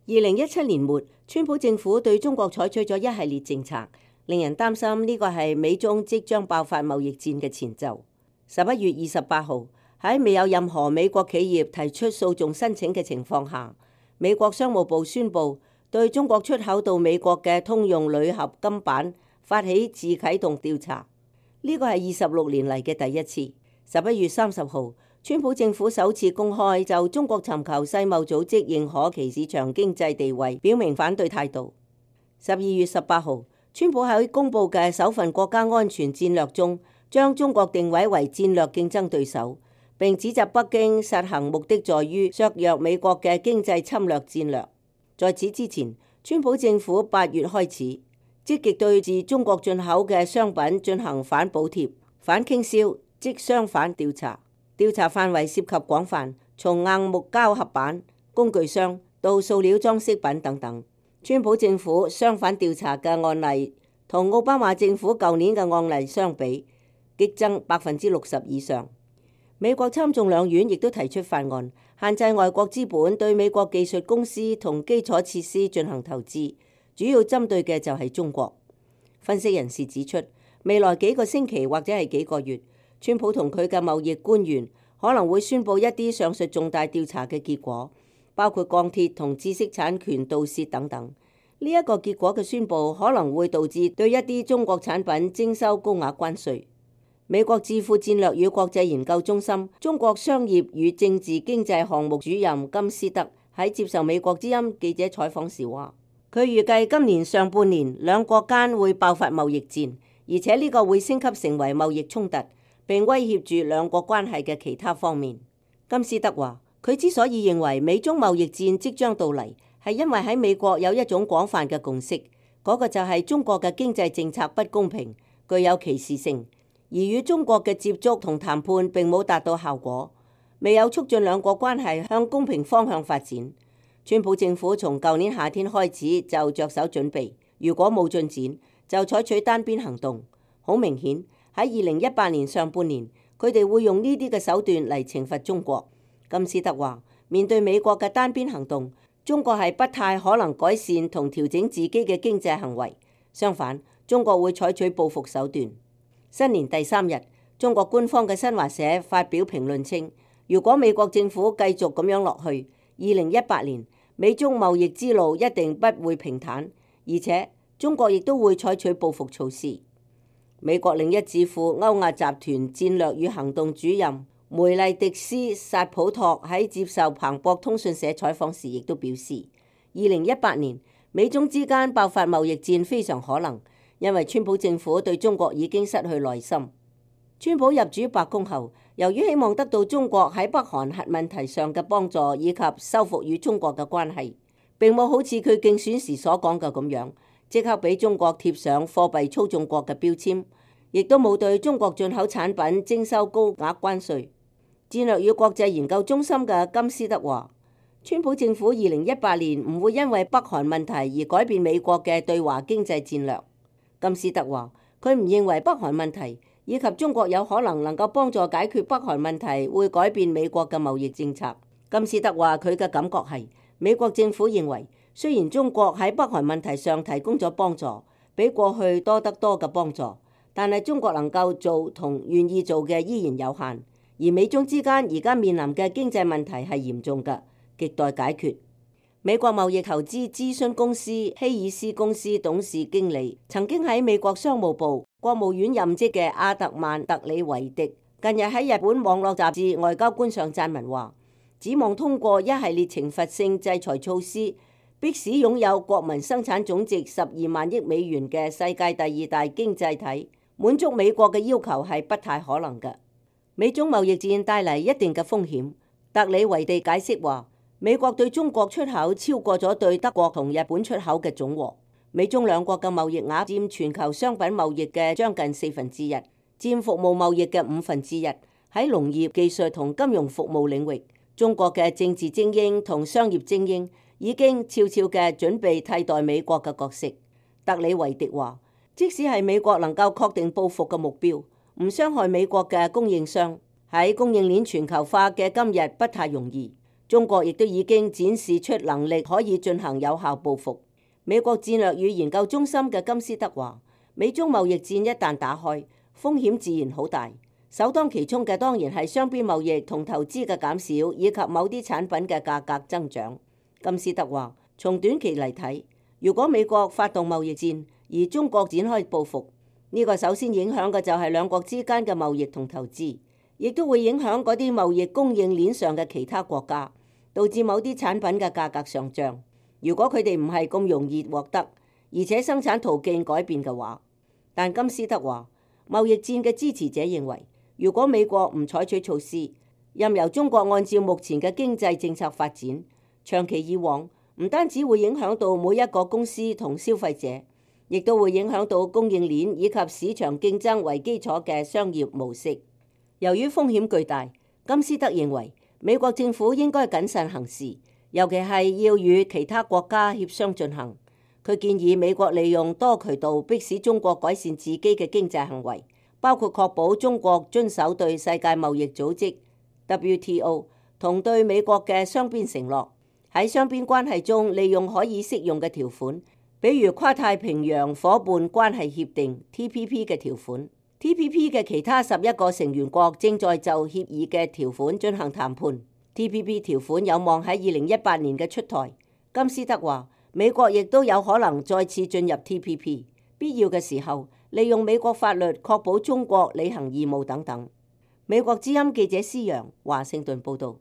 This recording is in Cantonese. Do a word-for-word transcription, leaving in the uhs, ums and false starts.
二零一七年末，川普政府對中國採取咗一系列政策，令人擔心呢個係美中即將爆發貿易戰嘅前奏。十一月二十八號，喺未有任何美國企業提出訴訟申請嘅情況下，美國商務部宣布對中國出口到美國嘅通用鋁合金板發起自啟動調查。呢個係二十六年嚟嘅第一次。十一月三十號，川普政府首次公開就中國尋求世貿組織認可其市場經濟地位表明反對態度。十二月十八號，川普喺公布嘅首份國家安全戰略中，將中國定位為戰略競爭對手，並指責北京實行目的在於削弱美國嘅經濟侵略戰略。在此之前，川普政府八月開始積極對自中國進口嘅商品進行反補貼、反傾銷、即商反調查。調查範圍涉及廣泛，從硬木膠合板、工具箱到塑料裝飾品等等。川普政府商反調查嘅案例同奧巴馬政府舊年嘅案例相比，激增百分之六十以上。美國參眾兩院亦都提出法案，限制外國資本對美國技術公司同基礎設施進行投資，主要針對嘅就係中國。分析人士指出，未來幾個星期或者係幾個月，川普同佢嘅貿易官員可能會宣布一啲上述重大調查嘅結果，包括鋼鐵同知識產權盜竊等等。呢一個結果嘅宣布可能會導致對一啲中國產品徵收高額關稅。美國智庫戰略與國際研究中心中國商業與政治經濟項目主任金斯德喺接受美國之音記者採訪時話，佢預計今年上半年兩國間會爆發貿易戰，而且呢個會升級成為貿易衝突，並威脅住兩國關係嘅其他方面。金斯德話，佢之所以認為美中貿易戰即將到嚟，係因為喺美國有一種廣泛嘅共識，嗰個就係中國嘅經濟政策不公平，具有歧視性。而與中國嘅接觸同談判並冇達到效果，未有促進兩國關係向公平方向發展。川普政府從舊年夏天開始就着手準備，如果冇進展，就採取單邊行動。好明顯喺二零一八年上半年，佢哋會用呢啲嘅手段嚟懲罰中國。金斯德話，面對美國嘅單邊行動，中國係不太可能改善同調整自己嘅經濟行為，相反，中國會採取報復手段。新年第三日，中國官方嘅新華社發表評論稱，如果美國政府繼續咁樣落去，二零一八年美中貿易之路一定不會平坦，而且中國亦都會採取報復措施。美國另一智庫歐亞集團戰略與行動主任梅麗迪斯薩普托喺接受彭博通訊社採訪時亦都表示，二零一八年美中之間爆發貿易戰非常可能。因為川普政府對中國已經失去耐心。川普入主白宮後，由於希望得到中國喺北韓核問題上嘅幫助，以及修復與中國嘅關係，並冇好似佢競選時所講嘅咁樣，即刻俾中國貼上貨幣操縱國嘅標籤，亦都冇對中國進口產品徵收高額關稅。戰略與國際研究中心嘅金斯德話，川普政府二零一八年唔會因為北韓問題而改變美國嘅對華經濟戰略。金斯德話，佢唔認為北韓問題以及中國有可能能夠幫助解決北韓問題會改變美國嘅貿易政策。金斯德話，佢嘅感覺係美國政府認為，雖然中國喺北韓問題上提供咗幫助，比過去多得多嘅幫助，但係中國能夠做同願意做嘅依然有限。而美中之間而家面臨嘅經濟問題係嚴重嘅，亟待解決。美國貿易投資諮詢公司希爾斯公司董事經理，曾經喺美國商務部、國務院任職嘅阿特曼特里維迪，近日喺日本網絡雜誌《外交官》上撰文話，指望通過一系列懲罰性制裁措施，迫使擁有國民生產總值十二萬億美元嘅世界第二大經濟體滿足美國嘅要求係不太可能嘅。美中貿易戰帶嚟一定嘅風險。特里維地解釋話，美國對中國出口超過咗對德國同日本出口嘅總和。美中兩國嘅貿易額佔全球商品貿易嘅將近四分之一，佔服務貿易嘅五分之一。喺農業、技術同金融服務領域，中國嘅政治精英同商業精英已經悄悄嘅準備替代美國嘅角色。特里維迪話，即使係美國能夠確定報復嘅目標，唔傷害美國嘅供應商，喺供應鏈全球化嘅今日不太容易。中國亦都已經展示出能力可以進行有效報復。美國戰略與研究中心嘅金斯德話，美中貿易戰一旦打開，風險自然好大，首當其衝嘅當然係雙邊貿易同投資嘅減少，以及某啲產品嘅價格增長。金斯德話，從短期嚟睇，如果美國發動貿易戰，而中國展開報復，呢個首先影響嘅就係兩國之間嘅貿易同投資，亦都會影響嗰啲貿易供應鏈上嘅其他國家，導致某啲產品嘅價格上漲。如果佢哋唔係咁容易獲得，而且生產途徑改變嘅話，但金斯德話，貿易戰嘅支持者認為，如果美國唔採取措施，任由中國按照目前嘅經濟政策發展，長期以往，唔單止會影響到每一個公司同消費者，亦都會影響到供應鏈以及市場競爭為基礎嘅商業模式。由於風險巨大，金斯德認為美國政府應該謹慎行事，尤其係要與其他國家協商進行。佢建議美國利用多渠道迫使中國改善自己嘅經濟行為，包括確保中國遵守對世界貿易組織 W T O 同對美國嘅雙邊承諾。喺雙邊關係中利用可以適用嘅條款，比如跨太平洋夥伴關係協定 T P P 嘅條款。T P P 嘅其他十一個成員國正在就協議嘅條款進行談判。T P P 條款有望喺二零一八年嘅出台。金斯德話，美國亦都有可能再次進入 T P P， 必要嘅時候利用美國法律確保中國履行義務等等。美國之音記者施洋華盛頓報道。